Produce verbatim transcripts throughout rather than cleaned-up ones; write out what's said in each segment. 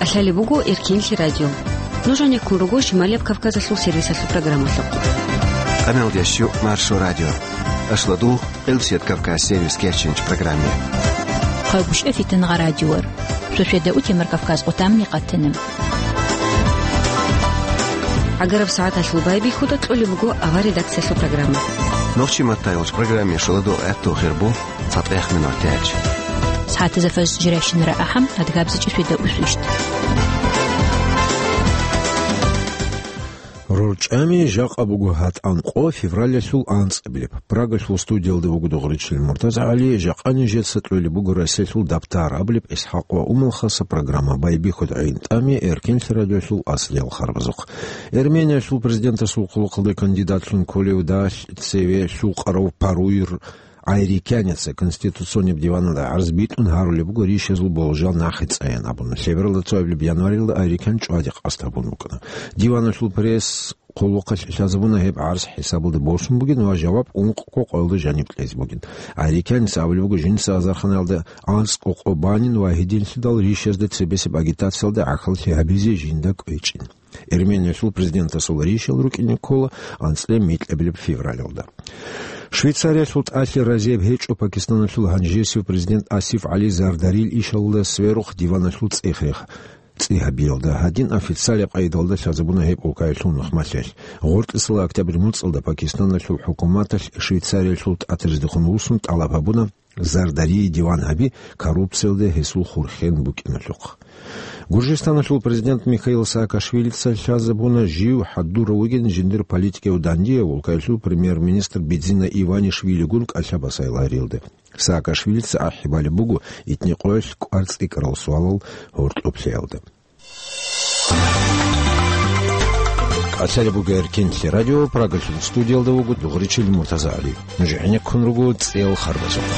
Лъалеб буго Эркинлъи радио. Нуж гьанеккун руго Шималияб Кавказалъул сервисалъул программалъухъ. Къамел ящу Маршо радио. Ашладу Къилсият Кавказ сервис керчинч программе. Хъагушев Фитнагъа радиор. Шошеда утемар Кавказ къутамни къатанам. Агараб сагӀаталъул байбихьуда кьолеб буго авар редакциялъул программа. Нохчи маттайолч программе шоладо гӀатту хирбу. ЦатӀехъ минутач. СагӀатазда фажр жирайщинара ахӀам, адгабзичӀеб шведа усвищ. РорчӀами жакъа буго гьатӀан къо февралалъул анцӀабилеб. Прагалъул студиялда вуго Дугъричил МуртазагӀали, жакъа нижеца кьолеб буго Россиялъул дабтар абулеб ИсхӀакъ ва Умал хаса программа. Байбихьуда гӀин тӀами Эркинлъи радиолъул аслиял харбазухъ. Эрмениялъул президентасул хъулухъалда кандидатлъун кколев далъ цеве лъукъарав Паруйр Айрикяница Конституционнияб диваналда гӀарз битӀун гьарулеб буго ришазул болжал нахъе цӀаян абун. Лъебералда цоабилеб январилда Айрикян чӀвади къасд гьабун букӀана. Диваналъул пресс-хъулухъалъ лъазабуна гьеб гӀарз хӀисабалда босун бугин ва жаваб ункъго къоялда жаниб кьезе бугин. Айрикяница абулеб буго жинца азарханалда анцӀго къо банин ва гьединлъидал ришазда цебесеб агитациялда гӀахьаллъи гьабизе жинда кӀвечӀин. Эрмениялъул президентасул ришал рукӀине ккола анцӀила микьабилеб февралалда. Швейцариялъул тӀалъи разияб гьечӀо Пакистаналъул гьанжесив президент Асиф ГӀали Зардарил ишалда сверухъ диваналъул цӀех-, цӀи гьабиялда. Гьадин официалаб къайдалда лъазабуна гьеб улкаялъул нухмалъелъ. Гъоркьисала октябрь муцӀалда Пакистаналъул хӀукуматалъ Швейцариялъул тӀатаздехун вуссун тӀалаб гьабуна, Зардарие диван гьаби коррупциялда гьесул хурхен букӀиналъухъ. Гуржистаналъул президент Михаил Саакашвилица лъазабуна жив хӀадурав вугин жиндир политикияв дандияв улкаялъул премьер-министр Бидзина Иванишвилигун кӀалъа-басайлагьариялда. Саакашвилица ахӀи балеб буго итни къоялъ кӀвар цӀикӀкӀарал суалал гьоркьоблъиялда. Лъалеб буго Эркинлъи радио, Прагалъул студиялда вуго Дугъричил МуртазагӀали. Нуж гӀенеккун руго цӀел харбазухъ.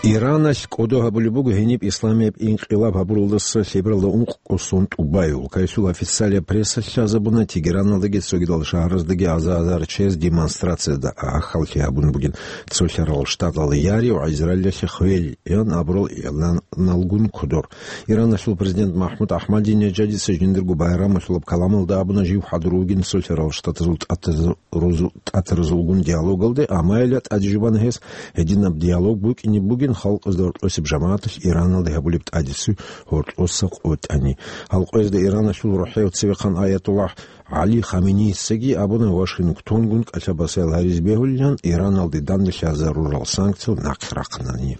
Ираналъ кӀодо гьабулеб буго гьениб исламияб инкъилаб гьабуралдаса лъебералда ункъго сон тӀубай. Улкаялъул официалияб пресса лъазабуна Тегераналдаги цогидал шагьараздаги аза-азар чияз демонстрацияда гӀахьаллъи гьабун бугин, цолъарал штаталда яри ва Израилалъе хвел ян абурал игӀланалгун кодор. Ираналъул президент МахӀмуд АхӀмадинежадица жиндирго байрамалъулаб каламалда абуна жив хӀадур вугин цолъарал штатазул тӀатазул-, рузу-, тӀатаразулгун диалогалде, амма гьелда тӀаде жубана гьес, гьединаб диалог букӀине бугин халкъазда гьоркьосеб жамагӀаталъ Ираналде гьабулеб тӀадеси гьоркьоса къотӀани. Гьалкъоязда Ираналъул рухӀев цевехъан аятуллагь ГӀали Хаменийицаги абуна Вашингтонгун кӀалъа-басаял гьаризе бегьулилан Ираналде данделъазарурал санкциял нахъе рахъинани.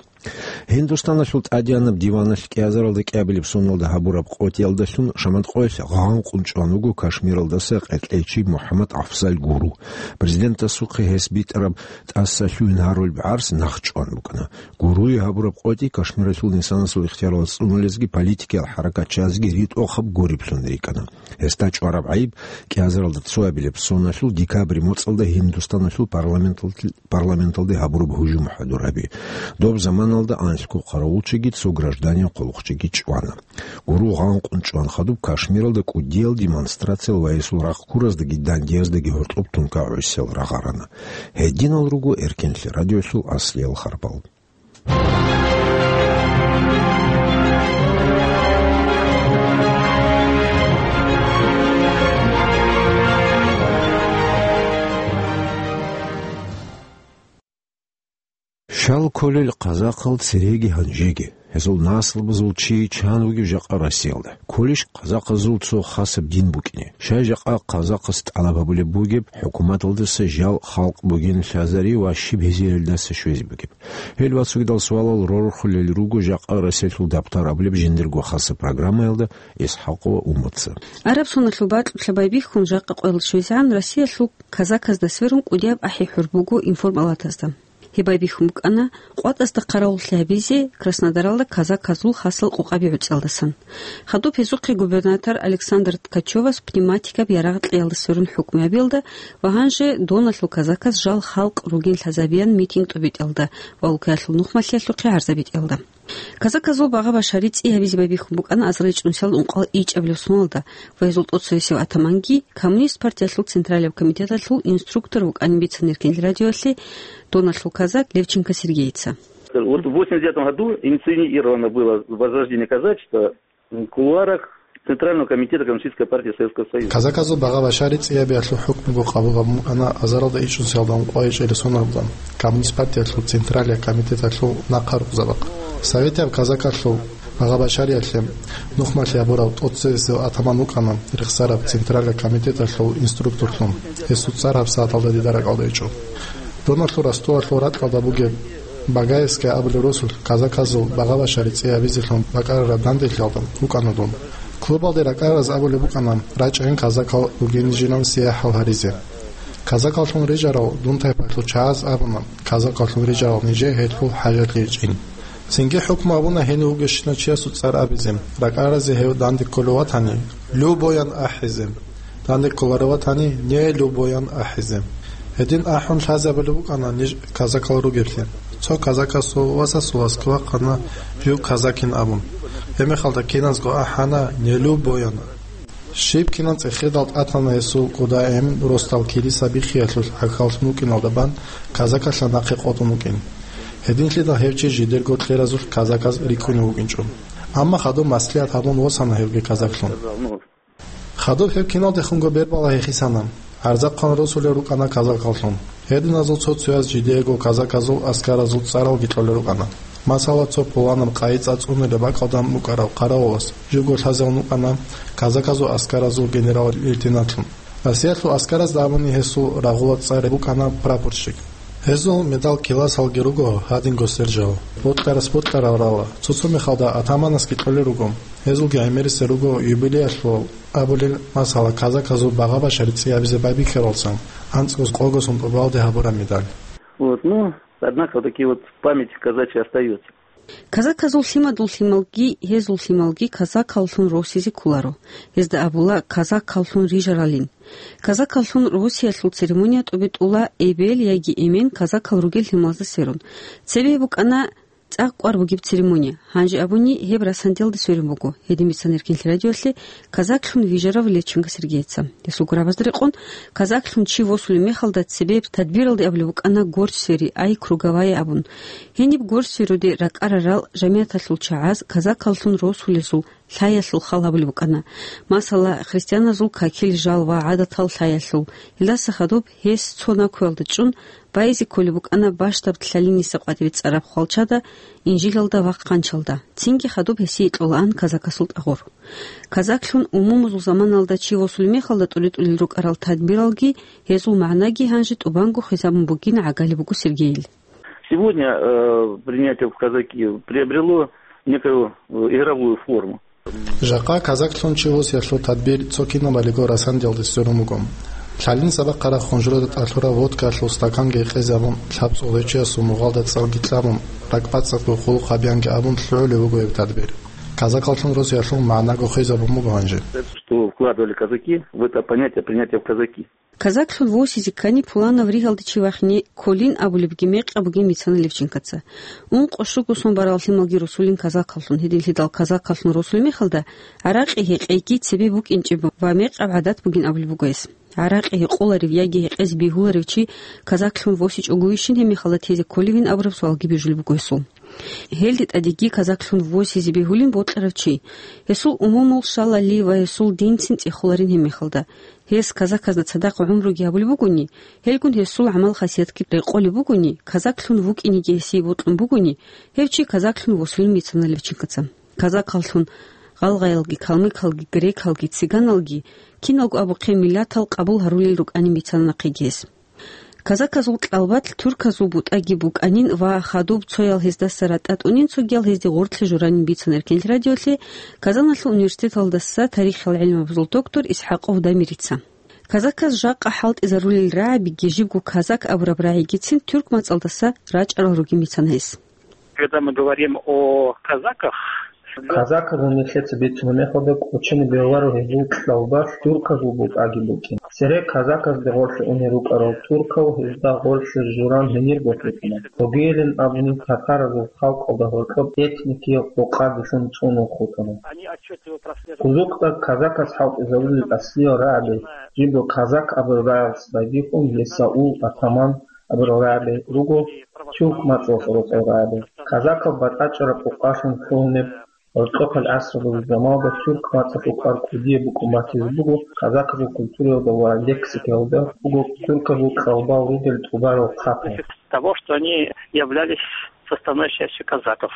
Гьиндустаналъул тӀадеянаб диваналъ кӀиазаралда кӀиабилеб соналда гьабураб къотӀиялдалъун шаматкъоялъ гъанкъун чӀван вуго Кашмиралдаса къеркьечи МухӀаммад Афзал Гуру. Президентасухъе гьес битӀараб тӀаса лъугьин гьарулеб гӀарз нахъ чӀван букӀана. Гуруе гьабураб къотӀи Кашмиралъул инсанасул ихтияралда цӀунулезги политикиял хӀаракатчазги ритӀухъаб гуриблъун рикӀкӀана. Гьесда чӀвараб гӀайиб кӀиазаралда цоабилеб соналъул декабрь моцӀалда Гьиндустаналъул парламентал-, парламенталде гьабураб гьужум хӀадур гьаби. Доб заманалда анлъго къаравулчиги цо гражданин хъулухъчиги чӀвана. Гуру гъанкъун чӀван хадуб Кашмиралда кӀудиял демонстрациял ва гьесул рахъ ккураздаги дандияздаги гьоркьоб тункагӀусиял рагъарана. Гьединал руго Эркинлъи радиолъул аслиял харбал. Щал кколел казахъал цереги гьанжеги. Гьезул наслабазул чи чан вугев жакъа Россиялда? Кколищ казахъазул цо хасаб дин букӀине? Щай жакъа казахъас тӀалаб гьабулеб бугеб хӀукуматалдаса жал халкъ бугин лъазари ва щиб гьезиялдаса щвезе бугеб? Гьел ва цогидал суалал рорхулел руго жакъа Россиялъул дабтар абулеб жиндирго хасаб программаялда ИсхӀакъ ва Умаца. Араб соналъул бакьулъа байбихьун жакъа къоялда щвезегӀан Россиялъул казаказда сверун кӀудияб ахӀи-хӀур буго информалатазда. Гьеб байбихьун букӀана къватӀазда хъаравуллъи гьабизе Краснодаралда казаказул хасал къокъаби гӀуцӀиялдасан. Хадуб гьезухъе губернатор Александр Ткачевас пневматикаб ярагъ кьеялда сверун хӀукму гьабиялда ва гьанже доналъул казаказ жал халкъ ругин лъазабиян митинг тӀубитӀиялда ва улкаялъул нухмалъиялъухъе гӀарзабитӀиялда. Казаказул багъа-башари цӀи гьабизе байбихьун букӀана азарилчӀунсиял ункъал ичӀабилеб соналда ва гьезул тӀоцевесев атаманги, Коммунист партиялъул Централияб комитеталъул инструктор вукӀанин бицана Эркинлъи радиоялъе доналъул казак Левченко Сергейица. Вот в восемьдесят девятом году инициировано было возрождение казачества. В кулуарах Центрального комитета Коммунистической партии Советского Союза. Казаказул багъа-башари цӀиябиялъул хӀукмуго къабул гьабун букӀана азаралда ичӀнусиялда ункъоялда ичӀерисунаблъун Коммунист партиялъул Централия комитеталъул нахъа рукъзабахъ. Советияб казакалъул багъа-башариялъе нухмалъи гьабурав тӀоцевесев атаман вукӀана рехсараб Централия комитеталъул инструкторлъун, гьесул цӀар гьабсагӀаталда дида ракӀалда ичӀо. Доналъул ростовалъул ракьалда бугеб Багаевская абулеб росулъ казаказул багъа-башари цӀиябизелъун бакӀарараб данделъиялда вукӀана дун. Клубалде ракӀарараз абулеб букӀана рачӀайин казакал ругин жинав сияхӀал гьаризе. Казакаллъун рижарал дун тайпалъул чагӀаз абуна, казакаллъун рижарал нижее гьелъул хӀажалъи гьечӀин. Цинги хӀукму абуна гьенив вугевщинав чиясул цӀар абизе, ракӀаразе гьев данде кколев ватани, любоян ахӀизе. Данде кколарев ватани, не любоян ахӀизе. Гьедин ахӀун лъазабулеб букӀана ниж казакал ругеблъи. Цо казакасул васасул васги вахъана жив казакин абун. Гьебмехалда киназго ахӀана не любоян. Щиб кинан цӀехедал тӀатана гьесул кӀудаэм росдал килиса биххиялъулъ гӀахьаллъун вукӀиналда бан казакалъа нахъе къотӀун вукӀин. Гьединлъидал гьев чи жидерго кьеразулъ казаказ рикӀкӀунев вукӀинчӀо. Амма хадуб маслигӀат гьабун восана гьевги казаклъун. Хадуб гьеб киналдехунго бербала гьехисана. ГӀарзахъан росулел рукӀана казакаллъун. Гьединазул цо-цояз жидеего казаказул аскаразул цӀаралги кьолел рукӀана. Масала, цо пуланаб къайи цӀа цӀунилеб бакӀалда букӀарав хъаравулас живго лъазавун вукӀана казаказул аскаразул генерал-лейтенантлъун. Россиялъул аскаразда абуни гьесул рагъула цӀар букӀана прапорщик. Гьезул медал киласалги руго гьадинго сержал. Бокьарас бокьарал рала, цо-цо мехалда атаманасги кьолел руго. Гьезулги гӀемерисел руго юбилеялъул абулел, масала, казаказул багъа-башари цӀиябизе байбихьаралсан, анцӀгоз къогосан тӀубалде гьабураб медаль. Вот, ну, однако, такие вот в памяти казачьей остаются. Казаказул лъимадул лъималги, гьезул лъималги казакаллъун росизе кколаро. Гьезда абула казакаллъун рижаралин. Казакаллъун росиялъул церемония тӀубитӀула эбел яги эмен казакал ругел лъималазда сверун. Цебе букӀана цӀакъ кӀвар бугеб церемония. Гьанже абуни, гьеб Расандиялда сверун буго, гьедин бицана Эркенлъи радиоялъе казаклъун вижарав Левченко Сергейица. Гьесул гурабазда рекъон, казаклъун чи восулеб мехалда цебе тадбиралде абулеб букӀана горстьсвери, ай круговая абун. Гьениб горстьсверуде ракӀарарал жамигӀаталъул чагӀаз казакаллъун росулезул лъаялъул хал гьабулеб букӀана, масала, христианазул какил жал ва гӀадатал лъаялъул. Гьелдаса хадуб гьес цо накуялда чӀун байизе кколеб букӀана бащдаб лъалиниса къватӀибе цӀараб хвалчада, инжилалда ва хъанчалда. Цинги хадуб гьесие кьолаан казакасул тӀагъур. Казаклъун умумузул заманалда чи восулеб мехалда тӀуритӀулел рукӀарал тадбиралги гьезул магӀнаги гьанже тӀубанго хисабун бугин гӀагалеб буго Сергейил. Сегодня, э, принятие в казаки приобрело некую, э, игровую форму. Жакъа казаклъун чи восиялъул тадбир цо кинабалиго Расандиялде сверун буго. Лъалин сабахъараб хунжурада тӀалъураб водкаялъул стаканги гьекъезабун, лъабцӀул гьечиясул мугъалда цӀалги кьабун, ракӀбацӀцӀадго хъулухъ гьабиянги абун лъугӀулеб буго гьеб тадбир. Казакаллъун росиялъул магӀнаго хвезабун буго гьанже. Что вкладывали казаки в это понятие принятия в казаки? Казаклъун восизе ккани, пуланав ригьалде чи вахине кколин абулебги мекъаб бугин бицана Левченкоца. Ункъо-щуго сон барал лъималги росулин казаклъун, гьединлъидал казаклъун росулеб мехалда, гӀаракъи гьекъейги цебе букӀинчӀеб ва мекъаб гӀадат бугин абулеб буго гьес. ГӀаракъи гьекъоларев яги гьекъезе бегьуларев чи казаклъун восичӀогойищин гьеб мехалда тезе кколевин абураб суалги бижулеб буго гьесул. Гьелде тӀадеги казаклъун восизе бегьулин бокьарав чи. Гьесул умумул щалали ва гьесул динцин цӀехоларин гьеб мехалда. Гьес казаказда цадахъ гӀумруги гьабулеб бугони, гьелгун гьесул гӀамал-хасиятги рекъолеб бугони, казаклъун вукӀинеги гьесие бокьун бугони, гьев чи казаклъун восулин бицана Левченкоца. Казакаллъун гъалгъаялги, калмыкалги, грекалги, цыганалги, киналго абухъе миллатал къабул гьарулел рукӀанин бицана нахъеги гьес. Казаказул кьалбалъ турказул бутӀаги букӀанин ва хадуб цоял гьездаса ратӀа тӀунин, цогиял гьезде гъорлъе журанин бицана Эркенлъи радиолъе Казаналъул университеталдаса тарихиял гӀилмабазул доктор ИсхӀакъов Дамирица. Казаказ жакъа хӀалтӀизарулел рагӀабиги жибго казак абураб рагӀигицин тюрк мацӀалдаса рачӀарал ругин бицана гьес. Когда мы говорим о казаках, казаказул нилъеца бицунеб мехалда кӀочине бегьуларо гьезул кьалбалъ турказул бутӀаги букӀин. Цере казаказде гъорлъе унел рукӀарал туркал гьезда гъорлъе журан гьенир босукъана. Цогийилин абуни татаразул халкъалда гьоркьоб этникиял къокъабилъун цӀунун хутӀана. Кузукъда казаказ хӀалтӀизарулел аслиял рагӀаби, жибго казак абураб рагӀалъ байбихьун, гьесаул атаман абурал рагӀаби руго тюрк мацӀалъ рокъор рагӀаби. Казакал батӀачӀараб къокъалъун лъугьунеб Гьоркьохъел гӀасралъул заманалда тюрк мацӀалъул кӀвар кӀудияб букӀун батизе буго, казаказул культураялда ва лексикаялда буго тюрказул кьалбал ругел тӀубарал хъапал. Того, что они являлись составной частью казаков.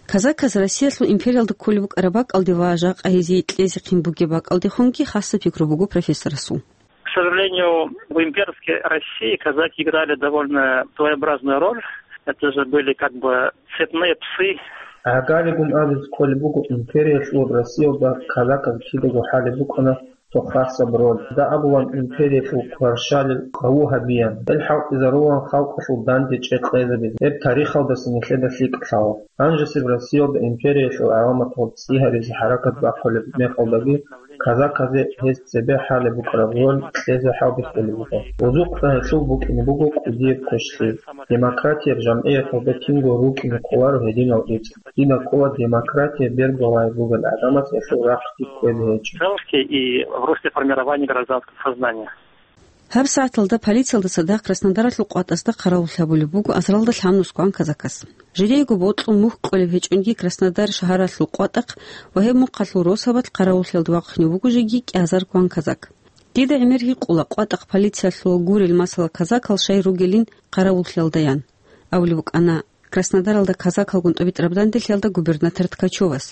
Казаказ Россиялъул империялда кколеб букӀараб бакӀалде ва жакъа гьезие кьезехъин бугеб бакӀалдехунги хасаб пикру буго профессорасул. К сожалению, в имперской России казаки играли довольно своеобразную роль. Это же были как бы цепные псы. ГӀагаригун абизе кколеб буго, империялъул Россиялда казаказ кидаго хӀалеб букӀана цо хасаб роль. Дагьабулан империялъул кваршалил къаву гьабиян. Гьел хӀалтӀизарулан халкъалъул данде чӀей къезабизе. Гьеб тарихалдаса нилъеда лъикӀ лъала. Гьанжесеб Россиялда империялъул гӀаламатал цӀи гьабизе хӀаракат бахъулеб мехалдаги, казаказе гьез цебе хӀалеб букӀараб роль кьезе хӀалбихьулеб буго. Озокъда гьелъул букӀине буго кӀудияб квешлъи. Демократияб жамгӀияталда кинго рукӀине кӀоларо гьединал рицӀ. Дида ккола демократия бергьулареб бугел гӀадамаз гьелъул рахъги кквезе гьечӀо. Целки и в русле формирования гражданского сознания. ГьабсагӀаталда полициялда цадахъ Краснодаралъул къватӀасда хъаравуллъи гьабулеб буго азаралда лъабнусгоан казакас. Жидеего бокьун мухь кьолеб гьечӀонги Краснодар шагьаралъул къватӀахъ ва гьеб мухъалъул росабалъ хъаравуллъиялда вахъине буго жеги кӀиазаргоан казак. Дида гӀемер гьикъула, къватӀахъ полициялъул гурел масала казакал щай ругелин хъаравуллъиялдаян, абулеб букӀана Краснодаралда казакалгун тӀубитӀараб данделъиялда губернатор Ткачевас.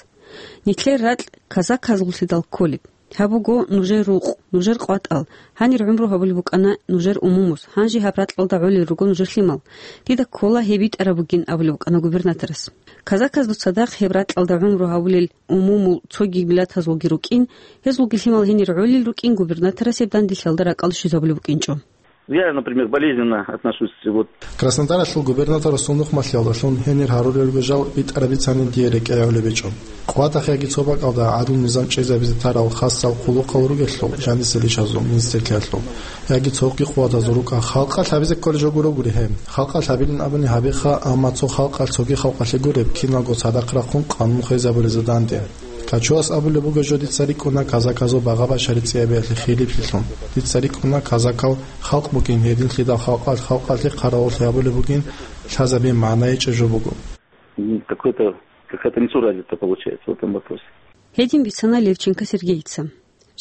Нилъер ракь казаказуллъидал кколеб. Гьаб буго нужер рукъ, нужер къватӀал, гьанир гӀумру гьабулеб букӀана нужер умумус, гьанже гьаб ракьалда гӀолел руго нужер лъимал. Дида ккола гьеб битӀараб бугин, абулеб букӀана губернаторас. Казаказда цадахъ гьеб ракьалда гӀумру гьабулел умумул цоги миллатазулги рукӀин, гьезулги лъимал гьенир гӀолел рукӀин губернаторас гьеб данделъиялда ракӀалде щвезабулеб букӀинчӀо. Я, например, болезненно отношусь, вот. Краснодаралъул губернаторасул нухмалъиялдалъун гьенир гьарурел ругел жал битӀараб бицани дие рекӀегӀолеб гьечӀо. КъватӀахъ яги цо бакӀалда гӀадлу-низам чӀезабизе тарал хасал хъулухъал ругелъул, жанисел ишазул, министрлъиялъул, яги цо гьикъугьадазул рукӀа халкъалъ гьабизе кколей жо гуро гури гьеб. Халкъалъ гьабилин абуни гьабиха, амма цо халкъалъ цоги халкъалъе гуреб, киналго цадахъ рахъун къанун хвезабулезда данде. Ткачевас абулеб буго жо, дица рикӀкӀуна казаказул багъа-башари цӀиябиялъе хилиплъилъун. Дица рикӀкӀуна казакал халкъ бугин, гьединлъидал халкъалъ халкъалъе хъаравуллъи гьабулеб бугин, лъазабиялъе магӀна гьечӀеб жо буго. М, какой-то, какая-то несуразица получается в этом вопросе. Гьедин бицана Левченко Сергейица.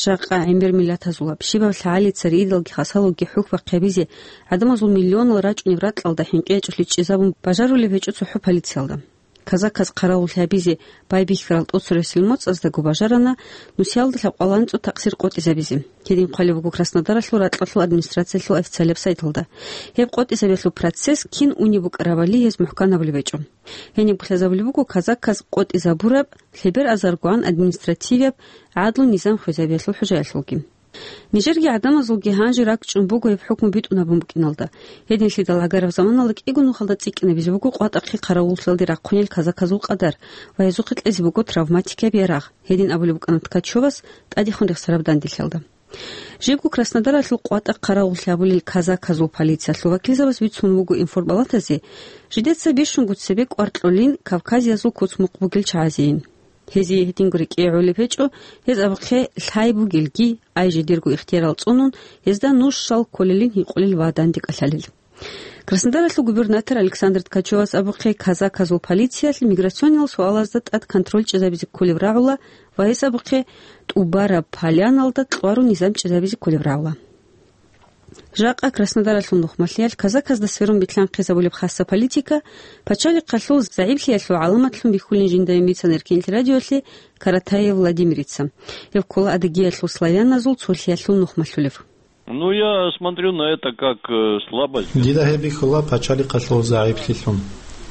Жакъа гӀемер миллатазулаб, щибаб лъагӀалица ридалги хасалуги хӀухь бахъи гьабизе, гӀадамазул миллионал рачӀунеб ракьалда хӀинкъи гьечӀолъи чӀезабун бажарулеб гьечӀо цохӀо полициялда. Казаказ хъаравуллъи гьабизе байбихьарал тӀоцересел моцӀаздаго бажарана нусиялда лъабкъоялда анцӀго такъсир къотӀизабизе. Гьедин хъвалеб буго Краснодаралъул ракьалъул администрациялъул официалияб сайталда. Гьеб къотӀизабиялъул процесс кин унеб букӀарабали гьез мухӀканабулеб гьечӀо. Гьениб лъазабулеб буго казаказ къотӀизабураб лъебераб азаргоан административияб гӀадлу-низам хвезабиялъул хӀужаялъулги. Нижерги гӀадамазулги гьанже ракӀчӀун буго гьеб хӀукму битӀун гьабун букӀиналда. Гьединлъидал гӀагараб заманалда кӀиго нухалда цӀикӀкӀинабизе буго къватӀахъе хъаравуллъиялде рахъунел казаказул къадар ва гьезухъе кьезе буго травматикаб ярагъ, гьедин абулеб букӀана Ткачевас тӀадехун рехсараб данделъиялда. Жибго Краснодаралъул къватӀахъ хъаравуллъи гьабулел казаказул полициялъул вакилзабаз бицун вуго информбалатазе, жидеца бищунго цебе кӀвар кьолин Кавказиязул куц-мукъ бугел чагӀазейин. Гьезие гьединго рекӀее гӀолеб гьечӀо, гьез абухъе лъай бугелги, ай жидерго ихтиярал цӀунун, гьезда нуж щал кколелин гьикъулел ва данде кӀалъалел. Краснодаралъул губернатор Александр Ткачевас абухъе казаказул полициялъ миграциониял суалазда тӀад контроль чӀезабизе кколеб рагӀула ва гьес абухъе ТӀубараб Поляналда кьварун низам чӀезабизе кколеб рагӀула. Жакъа Краснодаралъул нухмалъиялъ казаказда сверун битӀун хъизабулеб хасаб политика пачалихъалъул загӀиплъиялъул гӀаламатлъун бихьулин жинда бицана Эркин телерадиоялъе Каратаев Владимирица. Гьев ккола Адыгеялъул славяназул цолъиялъул нухмалъулев. Ну, я смотрю на это как, э, слабость. Дида гьеб бихьула пачалихъалъул загӀиплъилъун.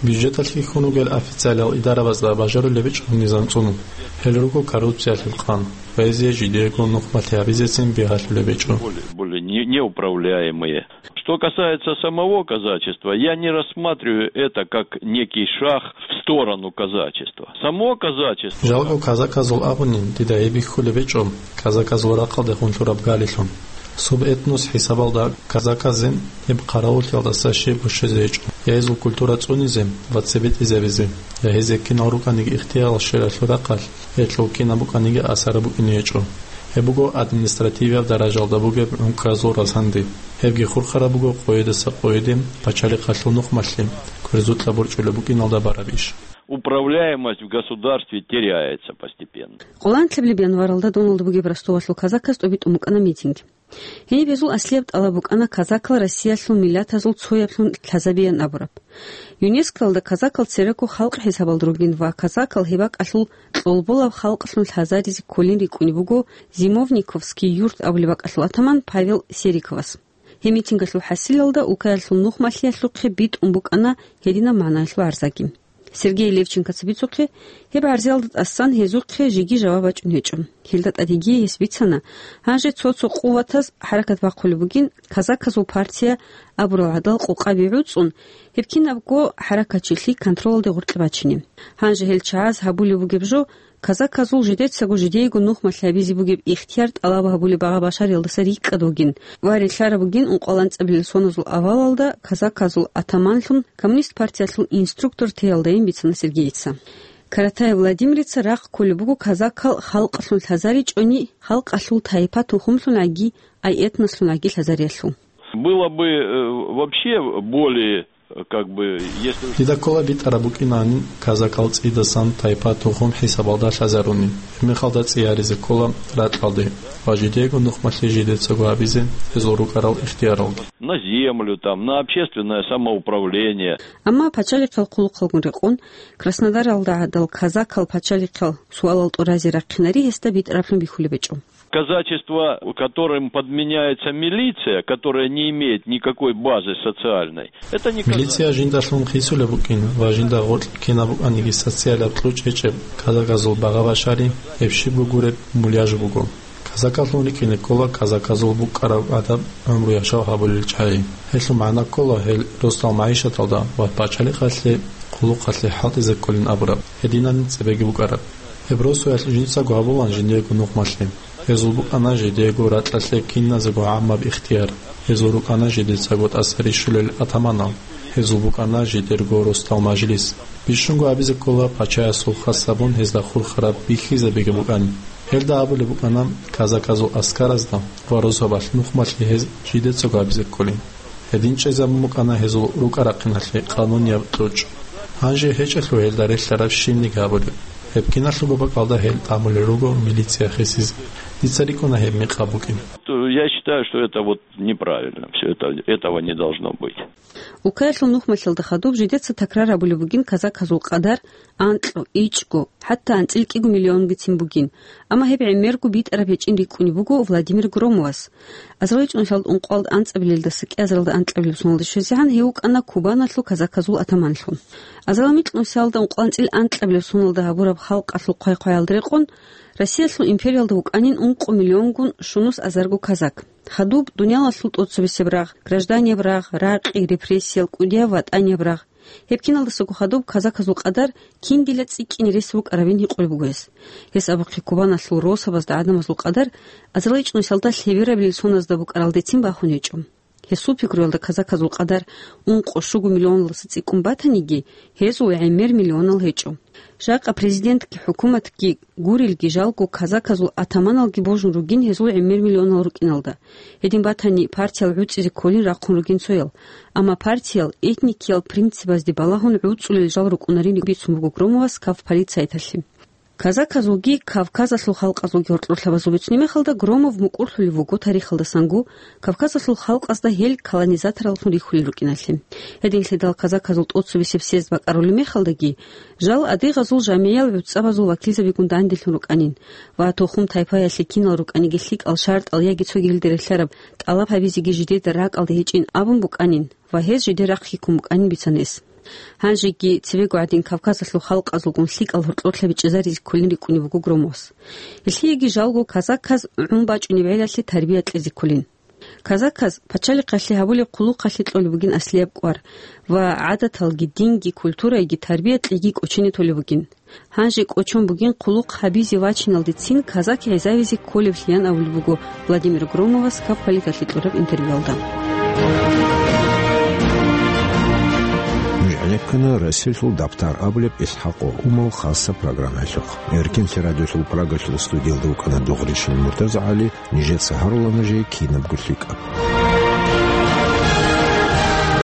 Бюджеталъ хьихьун ругел официалиял идарабазда бажарулеб гьечӀо низам цӀунун. Гьел руго коррупциялъул къан ва гьезие жидеего нухмалъи гьабизецин бигьалъулеб гьечӀо. Более, более не-, неуправляемые. Что касается самого казачества, я не рассматриваю это как некий шаг в сторону казачества. Само казачество. Жалго казаказул абунин, дида гьеб бихьулеб гьечӀо казаказул рахъалдехун лъураб галилъун. Субэтнос хӀисабалда казаказе гьеб хъаравуллъиялдаса щиб бушизе гьечӀо, я гьезул культура цӀунизе ва цебетӀизабизе, я гьезие кинал рукӀаниги ихтиярал щвелалъул рахъалъ, гьелъул кинаб букӀаниги асар букӀине гьечӀо. Гьеб буго административияб даражалда бугеб гӀункӀразул разгьанди. Гьебги хурхараб буго къойидаса къойиде пачалихъалъул нухмалъи. ризукьа борчӀулеб букӀиналда бараб иш. Управляемость в государстве теряется постепенно. Къоланлъабилеб январалда Доналда бугеб Ростовалъул казаказ тӀобитӀун букӀана митинг. Гьениб гьезул аслияб тӀалаб букӀана казакал Россиялъул миллатазул цояблъун лъазабеян абураб. ЮНЕСКОялда казакал церего халкъ хӀисабалда ругин ва казакал гьеб бакӀалъул кьолболаб халкълъун лъазаризе кколин рикӀкӀунеб буго Зимовниковский юрт абулеб бакӀалъул атаман Павел Сериковас. Гьеб митингалъул хӀасилалда улкаялъул нухмалъиялъухъе битӀун букӀана гьединаб магӀнаялъул гӀарзаги. Сергей Левченкоца бицухъе, гьеб гӀарзиялда тӀасан гьезухъе жеги жаваб бачӀун гьечӀо. Гьелда тӀадеги гьес бицана, гьанже цо-цо къуватаз хӀаракат бахъулеб бугин, казаказул партия абурал гӀадал къокъаби гӀуцӀун, гьеб кинабго хӀаракатчилъи контролалде гъоркье бачине. Гьанже гьел чагӀаз гьабулеб бугеб жо, казаказул жидецаго жидеего нухмалъи гьабизе бугеб ихтияр тӀалаб гьабулеб багъа-башариялдаса рикӀкӀад вугин ва релълъараб бугин ункъоялда анцӀабилел соназул авалалда казаказул атаманлъун Коммунист партиялъул инструктор теялдайин бицана Сергейица. Каратаев Владимирица рахъ кколеб буго казакал халкъалъун лъазаричӀони, халкъалъул тайпа-тухумлъунгӀаги, ай этнослъунгӀаги лъазариялъул. Было бы, э, вообще более, как бы, если уж Дида ккола битӀараб букӀинани казакал цӀидасан тайпа-тухум хӀисабалда лъазаруни, гьебмехалда цӀияризе ккола ракьалде ва жидеего нухмалъи жидецаго гьабизе гьезул рукӀарал ихтияралги. На землю, там, на общественное самоуправление. Амма пачалихъал хъулухъалгун рекъон, Краснодаралда гӀадал казакал пачалихъал суалал тӀуразе рахъинари гьесда битӀараблъун бихьулеб гьечӀо. Казачество, которым подменяется милиция, которая не имеет никакой базы социальной, это не казачество. Милиция жиндалъун хисулеб букӀин ва жинда гъоркь кинаб букӀаниги социалаб кьучӀ гьечӀеб казаказул багъа-башари, гьеб щибго гуреб муляж буго. Казакалъун рикӀкӀине ккола казаказул букӀараб адаб гӀумру-яшав гьабулел чагӀи. Гьелъул магӀна ккола гьел росдал магӀишаталда ва пачалихъалъе, хъулухъалъе хӀалтӀизе кколин абураб, гьединан цебеги букӀараб. Гьеб росуялъ жинцаго гьабулаан жиндиего нухмалъи. Гьезул букӀана жидеего ракьалъе киназего гӀаммаб ихтияр. Гьезул рукӀана жидецаго тӀаса рищулел атаманал. Гьезул букӀана жидерго росдал мажлис. Бищунго абизе ккола пачаясул хас гьабун гьезда хурхараб бихьизабиги букӀани. Гьелда абулеб букӀана казаказул аскаразда ва росабалъ нухмалъи гьез жидецаго абизе кколин. Гьедин чӀезабун букӀана гьезул рукӀа-рахъиналъе къанунияб кьучӀ. Гьанже гьечӀелъул гьелда релълъараб щибниги гьабулеб. Гьеб киналъулго бакӀалда гьел тӀамулел руго милиция хисизе. Дица рикӀкӀуна гьеб мекъаб букӀин. Я считаю, что это вот неправильно. Всё это, этого не должно быть. Улкаялъул нухмалъиялда хадуб жидеца такрар гьабулеб бугин казаказул къадар анкьго, ичӀго, хӀатта анцӀила кӀиго миллионгицин бугин, амма гьеб гӀемерго битӀараб гьечӀин рикӀкӀунеб буго Владимир Громовас. Азарилчи нусалда ункъоялда анцӀабилелдаса кӀиазаралда анкьабилеб соналда щвезегӀан гьев вукӀана Кубаналъул казаказул атаманлъун. Азарилчи нусалда ункъоялда анцӀила анкьабилеб соналда гьабураб халкъалъул хъвай-хъваялда рекъон, Россиялъул империялда вукӀанин ункъо миллионгун щунус азарго казак. Хадуб дуниялалъул тӀоцебесеб рагъ, гражданияб рагъ, ракъи, репрессиял, кӀудияб ватӀанияб рагъ. Гьеб киналдасаго хадуб казаказул къадар киндила цӀикӀкӀине рес букӀарабин гьикъулеб буго гьес. Гьес абухъе Кубаналъул росабазда гӀадамазул къадар азарилчи нусалда лъеберабилел соназда букӀаралдецин бахун гьечӀо. Гьесул пикруялда казаказул къадар ункъо-щуго миллионалдаса цӀикӀкӀун батаниги, гьезул гӀемер миллионал гьечӀо. Жакъа президентги хӀукуматги гурелги жалго казаказул атаманалги божун ругин гьезул гӀемер миллионал рукӀиналда. Гьедин батани, партиял гӀуцӀизе кколин рахъун ругин цоял. Амма партиял этникиял принципазде балагьун гӀуцӀулел жал рукӀунарин бицун буго Громовас кавполицаяталъе. Казаказулги кавказалъул халкъазулги гьоркьорлъабазул бицунеб мехалда Громов мукӀурлъулев вуго тарихалдасанго Кавказалъул халкъазда гьел колонизатораллъун рихьулел рукӀиналъе. Гьединлъидал казаказул тӀоцебесеб съезд бакӀарулеб мехалдаги, жал адыгъазул жамигӀиял гӀуцӀабазул вакилзабигун данделъун рукӀанин ва тухум-тайпаялъе кинал рукӀаниги лъикӀал шартӀал яги цогидалде релълъараб тӀалаб гьабизеги жидеда ракӀалде гьечӀин абун букӀанин ва гьез жидер рахъги ккун букӀанин бицана гьес. Гьанжеги цебего гӀадин Кавказалъул халкъазулгун лъикӀал гьоркьорлъаби чӀезаризе кколин рикӀкӀунеб буго Громовас. Гьелъиеги жалго казаказ гӀун бачӀунеб гӀелалъе тарбия кьезе кколин. Казаказ пачалихъалъе гьабулеб хъулухъалъе кьолеб бугин аслияб кӀвар ва гӀадаталги, динги, культурайги тарбия кьеги кӀочене толеб бугин. Гьанже кӀочон бугин хъулухъ гьабизе вачиналдецин казак гӀезавизе кколеблъиян абулеб буго Владимир Громовас кавполиталъе кьураб интервьюялда. Нуж гӀенеккана Россиялъул дабтар абулеб ИсхӀакъ ва Умал хасаб программаялъухъ. Эркинлъи радиолъул Прагалъул студиялда вукӀана Дугъришин МуртазагӀали, нижеца гьарула нужее кинабго лъикӀаб.